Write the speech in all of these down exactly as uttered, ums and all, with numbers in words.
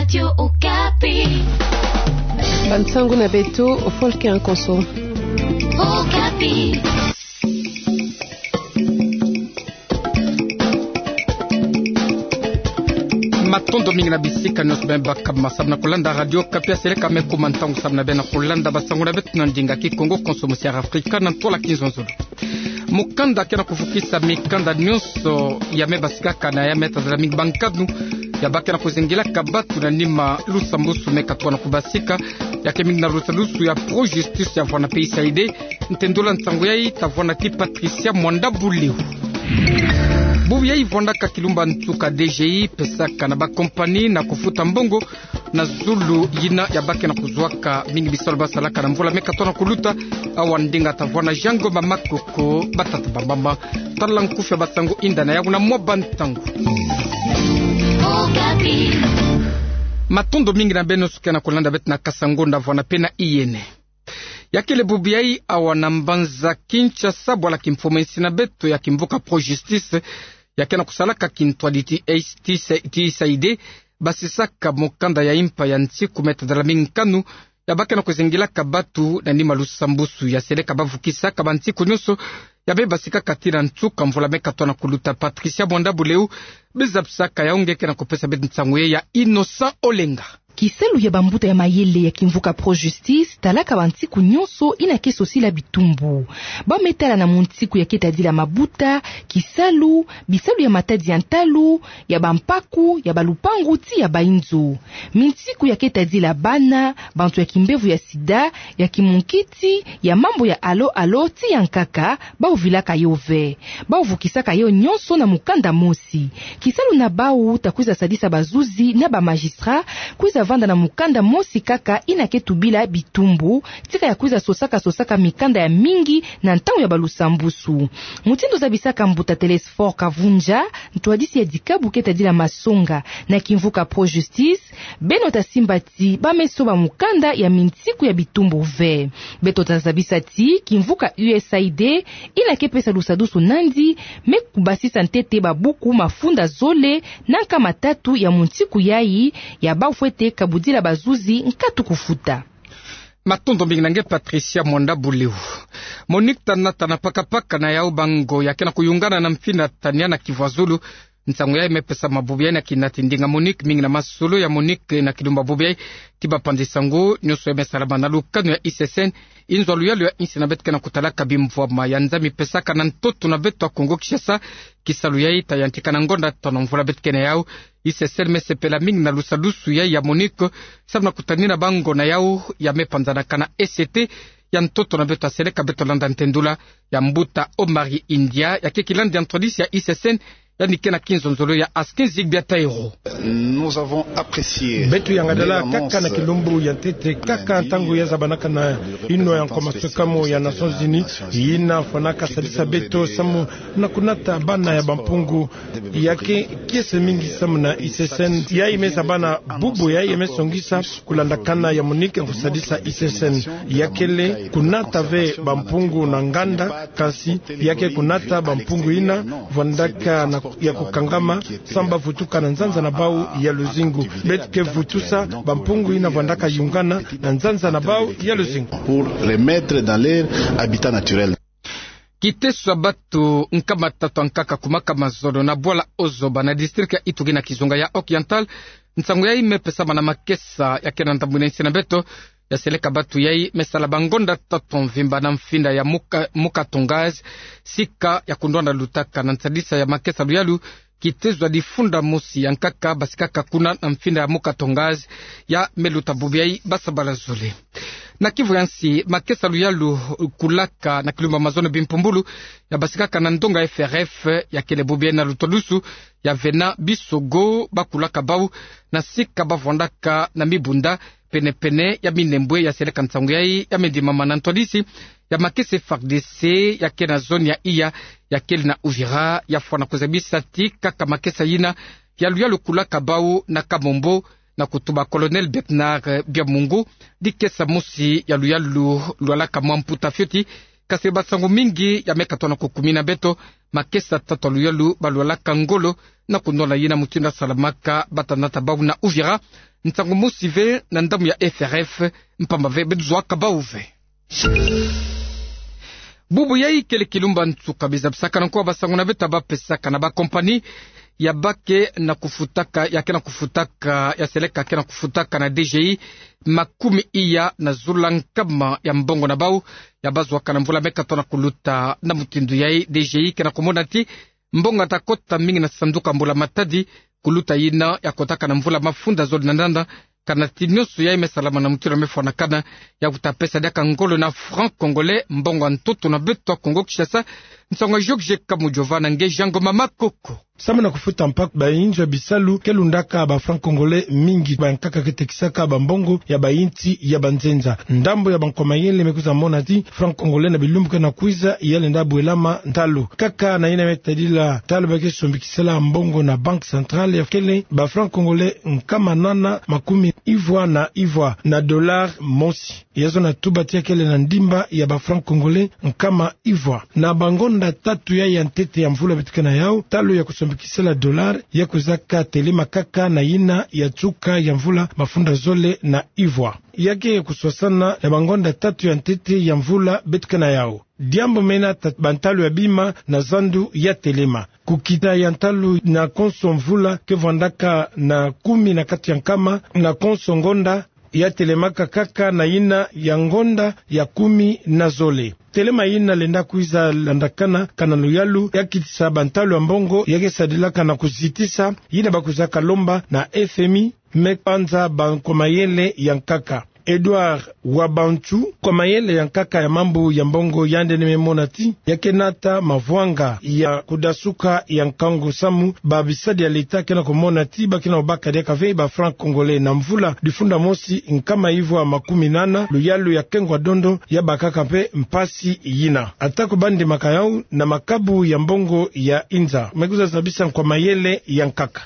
Radio Okapi. Bansangu na beto, Volker Nkonso. Okapi. Matondo mingi na bisika nyonso beno baka ma samu na kulanda Radio Okapi, aseleka me kuma ntangu samu na beno kulanda bansangu na beto na ndinga Kikongo, Konso, Musiara Afrika na ntwala kinzonzolo. Mukanda ke na kuvukisa mikanda nyonso ya me basikaka na ya me tadala mingi bankanu ya ba ke na kuzingilaka batu na nima lusambusu me katoa na kubasika, ya ke mingi na lusambusu ya Pro Justice ya vwanda P S I D. Ntendula nsangu yayi ta vwanda ti Patricia Mwanda Buleu. Bubu yayi vwandaka kilumba nsuka D G I pesaka na bakompani na kufuta mbongo na zulu yina ya ba ke na kuzwaka mingi bisalu ba salaka na mvula me katoa na kuluta. Awa ndinga ta vwanda Jean Ngoma Makoko, batata bamama. Tala nkufi ya bansangu, yinda na yawu na mwa bansangu. Matondo mingi na beno suke na kulanda beto na kasa ngonda vwanda pe na yiyene. Ya kele bubu yayi awa na mbanza Kinshasa, bwala kimfumu insi na beto ya kimvuka Pro Justice, ya ke na kusalaka kintwadi ti S T C, ti S I D, basisaka mukanda ya impa ya nsiku me tadala mingi nkanu ya ba ke na kuzingilaka batu na nima lusambusu ya seleka bavukisaka bansiku nyonso ya me basikaka tii na nsuka mvula me katoa na kuluta. Patricia Mwanda Buleu, biza bisaka ya unge ke na kupesa beto nsangu yayi ya Innocent Olenga. Kisalu ya bambuta ya mayele ya kimvuka Pro Justice talaka bansiku nyonso yina ke sosila bitumbu. Ba me tala na munsiku ya ke tadila mabuta, kisalu, bisalu ya matadi ya ntalu, ya bampaku, ya balupangu tii ya bainzo. Minsiku ya ke tadila bana, bantu ya kimbevo ya sida, ya kimunkiti, ya mambu ya alo-alo tii ya nkaka, bau vilaka yo ve. Bau vukisaka yo nyonso na mukanda mosi. Kisalu na bau ta kwiza sadisa bazuzi na bamagistrat kwiza vanda na mukanda mosi kaka yina ke tubila bitumbu, tika ya kwiza sosaka-sosaka mikanda ya mingi na ntangu ya balusambusu. Mutindu zabisaka mbuta Telesphore Kavundja, ntwadisi ya dikabu ke tadila masonga na kimvuka Pro Justice, beno ta simba ti ba me soba mukanda ya minsiku ya bitumbu ve. Beto ta zabisa ti kimvuka U S A I D yina ke pesa lusadusu nandi me kubasisa ntete babuku mafunda zole na nkama tatu ya munsiku yayi, ya bau fwete kabudila bazuzi nkatu kufuta. Matondo mingi na nge Patricia Mwanda Buleu. Monique ta nata na paka-paka na yau bango ya ke na kuyungana na mfina Tania na Kivuazulu. Nsangu yayi me pesa ma bubu yayi na kinati ndinga Monique, mingi na masolo ya Monique na kilumba bubu yayi. Ti bapanzi nsangu nyonso ya me salama na lukanu ya I C S N, inzo ya luyalu ya insi na beto ke na kutalaka bimvwama ya nza mi pesaka na ntoto na beto ya Kongo Kinshasa. Kisalu yayi ta yantika na ngonda tanu mvula beto ke na yau. I C S N me sepela mingi na lusadusu yayi ya Monique, samu na kutanina bango na yau ya me panzanaka na E C T ya ntoto na beto. Aseleka beto landa ntendula ya mbuta Omari India, ya ke kilandi ya ntwadisi ya I C S N, yandi ke na kinzonzolo ya Askin Zigbia Taïro. Nous avons apprécié. Beto yangadala kaka na kilumbu ya ntete, kaka ntangu ya zabanaka na yinwa ya nkoma sukamo ya Nations Unies, yina fwanaka sadisa beto samu na kunata bana ya bampungu. Ya ke kiese mingi samu na I C S N, yayi me zabana bubu yayi ya me songisa kulandakana ya Monique kusadisa I C S N. Ya kele kunata ve bampungu na nganda, kansi ya ke kunata bampungu yina vwandaka na, ya kukangama, samu ba vutuka na nzanza na bau ya luzingu. Beto ke vutusa bampungu yina vwandaka yungana na nzanza na bau ya luzingu. Pour remettre dans leur habitat naturel. Kiteso ya batu nkama tatu ya nkaka kumaka mazono na bwala Ozoba na district ya Ituri na kizunga ya Oriental. Nsangu yayi me pesama na makesa ya ke na ndambu na insi na beto. Ya seleka batu yayi me sala bangonda tatu mvimba na mfinda ya Muka, Muka Tongaz, sika ya kundwanda lutaka na nsadisa ya makesa luyalu. Kiteso ya difunda mosi ya nkaka basikaka kuna na mfinda ya Muka Tongaz ya me luta bubu yayi basabala zole. Na Kivu ya nsi, makesa luyalu kulaka na kilumba mazono bimpumbulu ya basikaka na ndonga F R F ya kele bubu yayi na lutadusu ya Venant Bisogo, ba kulaka bau na sika ba vwandaka na mibunda pene-pene ya Minembwe. Ya seleka nsangu yayi ya me ndimama na ntwadisi ya makesa F A R D C ya ke na zone ya Iya, ya kele na Uvira, ya fwana kuzabisa ti kaka makesa yina ya luyalu kulaka bau na Kamombo, na kutuba Colonel Bernard Biamungu, dikesa mosi ya luyalu lwalaka mwa mputa fioti. Kasi bansangu mingi ya me katoa na kukumina beto, makesa tatu ya luyalu ba lwalaka ngolo na kunwala yina mutindu ya salamaka, ba ta nata bau na Uvira, nsangu mosi ve na ndambu ya F R F, mpamba ve beto zwa ka bau ve. Bubu yai kele kilumbu nsuka, biza bisakana kwa basango na beto ba pesaka na ba compagnie ya ba ke na kufutaka, ya ke na kufutaka, ya seleka ke na kufutaka na D G I makumi iya na zola nkama ya mbongo na bau, ya ba zwaka na mvula me katoka na kuluta. Na mutindu yai, D G I ke na kumona ti mbongo ta kota mingi na sanduku ya mbula matadi, kuluta yina ya kotaka na mvula mafunda zole na nana, kana ti nionso yai me salama na mutindu me fwanakana, ya kuta pesa diaka ngolo na franc congolais, mbongo ya ntoto na beto ya Kongo Kinshasa. Nsangu ya Georges Kamujova na nge Jean Ngoma Makoko. Samu na kufuta mpaku, bainzo ya bisalu ke lundaka ba franc congolais mingi, ba nkaka ke tekisaka ba mbongo ya bainsi ya banzenza. Ndambu ya ba nkwa mayele me kwiza mona ti franc congolais na bilumbu ke na kwiza ya lenda bwelama ntalu. Kaka na yina me tadila ntalu ba ke sombikisela mbongo na Banque Centrale, ya kele ba franc congolais nkama nana makumi ivwa na ivwa na dollar mosi. Ya zona tuba ti ya kele na ndimba ya ba franc congolais nkama ivwa. Na ba ngonda tatu yai ya ntete ya mvula beto ke na yau, ntalu ya kusombikisela dollar ya kwizaka telema kaka na yina ya nsuka ya mvula mafunda zole na ivwa. Ya ke kuswasana na ba ngonda tatu ya ntete ya mvula beto ke na yau. Diambu me nata ba ntalu ya bima na zandu ya telema. Kukita ya ntalu na konso mvula ke vwandaka na kumi na kati ya nkama, na konso ngonda ya telemaka kaka na yina ya ngonda ya kumi na zole. Telema yina lenda kwiza landakana kana luyalu ya kitisa ba ntalu ya mbongo ya ke sadilaka na kuzitisa yina ba kwizaka lomba na F M I, me panza ba nkwa mayele ya nkaka. Edouard Wabantu, nkwa mayele ya nkaka ya mambu ya mbongo, yandi ni me mona ti ya ke nata mavwanga ya kudasuka ya nkangu samu ba bisadi ya leta ke na kumona ti ba ke na kubaka diaka ve ba franc congolais na mvula difunda mosi nkama ivwa makumi nana, luyalu ya kengo ya dondo ya bakaka mpe mpasi yina. Ata ko ba ndimaka yau na makabu ya mbongo ya inza, me kwiza zabisa nkwa mayele ya nkaka.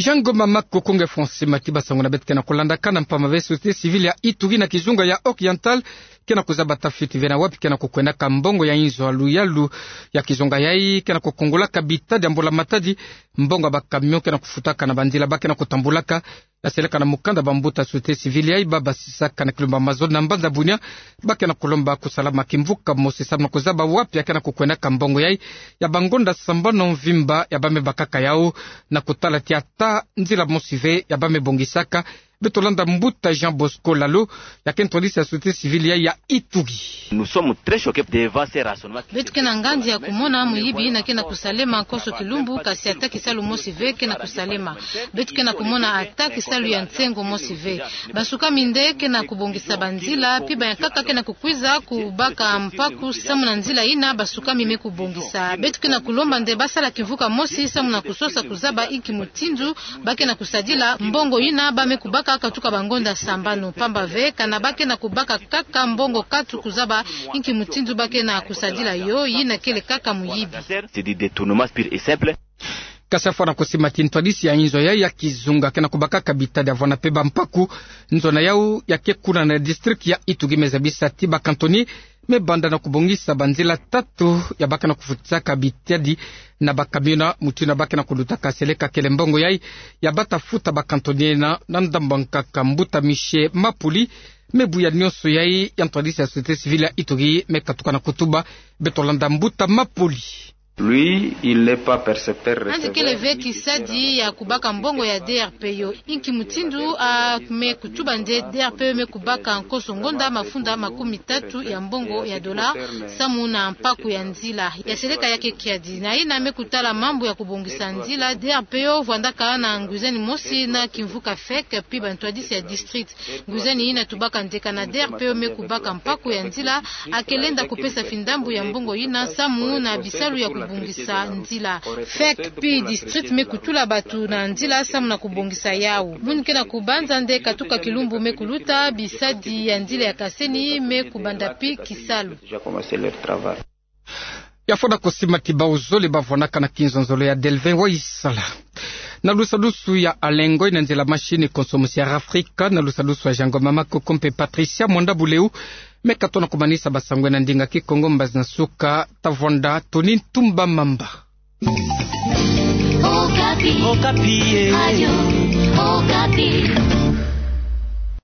Jean Ngoma Makoko, nge fwa simati basango na beto ke na kulandakana, mpamba ve société civile ya Ituri na kizunga ya Oriental ke na kuzaba ta fiti ve na wapi ke na kukwendaka mbongo ya inzo ya luyalu ya kizunga yai ke na kukongolaka bitadi ya mbula matadi. Mbongo ya ba camion ke na kufutaka na banzila ba ke na kutambulaka, ya seleka na mukanda ba mbuta société civile yai ba basisaka na kilumbu ya mazono na mbanza Bunia, ba ke na kulomba kusalama kimvuka mosi samu na kuzaba wapi ya ke na kukwendaka mbongo yai ya ba ngonda sambanu mvimba ya ba me bakaka yau, na kutala ti ata nzila mosi ve ya ba me bongisaka. Beto landa mbuta Jean Bosco Lalo, ya ke ntwadisi ya société civile yai ya Ituri. Nous sommes très choqués devant ces raisonnements. Beto ke na nganzi ya kumona muyibi yina ke na kusalema konso kilumbu, kasi ata kisalu mosi ve ke na kusalema. Beto ke na kumona ata kisalu ya nsengo mosi ve. Basukami nde ke na kubongisa banzila, pi ba ya nkaka ke na kukwiza kubaka mpaku samu na nzila yina basukami me kubongisa. Beto ke na kulomba nde ba sala kimvuka mosi samu na kusosa kuzaba inki mutindu ba ke na kusadila mbongo yina ba me kubaka katuka ba ngonda sambanu, mpamba ve kana ba ke na kubaka kaka mbongo katu kuzaba inki mutindu ba ke na kusadila yo, yina kele kaka muyibi. C'est du détournement pur et simple. Kasi fwana kusimati ntwadisi ya inzo yai ya kizunga ke na kubakaka bitadi ya vwanda mpe ba mpaku. Nzo na yau ya ke kuna na district ya Ituri me zabisa ti ba cantonnier me banda na kubongisa banzila tatu ya ba ke na kufutisaka bitadi na ba camion, mutindu ba ke na kulutaka. Seleka kele mbongo yai ya ba ta futa ba cantonnier na, na ndambu ya nkaka. Mbuta Michel Mapuli me buya nionso yai ya ntwadisi ya société civile ya Ituri me katuka na kutuba. Beto landa mbuta Mapuli. Lui, il n'est pas percepteur receveur. Yandi kele ve kisadi ya kubaka mbongo ya D R P O. Inki mutindu a me kutuba nde D R P O me kubaka konso ngonda mafunda makumi tatu ya mbongo ya dollar samu na mpaku ya nzila ya seleka ya ke kiadi. Na yina me kutala mambu ya kubongisa nzila, D R P O vwandaka na ngwizani mosi na kimvuka fek, pi ba ntwadisi ya district. Ngwizani yina tubaka nde kana D R P O me kubaka mpaku ya nzila, a ke lenda kupesa fi ndambu ya mbongo yina samu na bisalu ya kubongisa nzila. Fek pi district me kutula batu na nzila samu na kubongisa yau. Muni ke na kubanza nde katuka kilumbu me kuluta, bisadi ya nzila ya Kaseni me kubanda pi kisalu. Ya fwana kusimati bau zole ba vwanaka na kinzonzolo ya Delvin Waisala. Na lusadusu ya Alengo, na nzila machine konso mosi ya Rafrika, na lusadusu ya Jean Ngoma Makoko mpe Patricia Mwanda Buleu, me katoka na kumanisa basango na ndinga Kikongo, mbazi na suka ta vwanda Tony Ntumba Mamba. Okapi. Okapi, eh. Radio Okapi.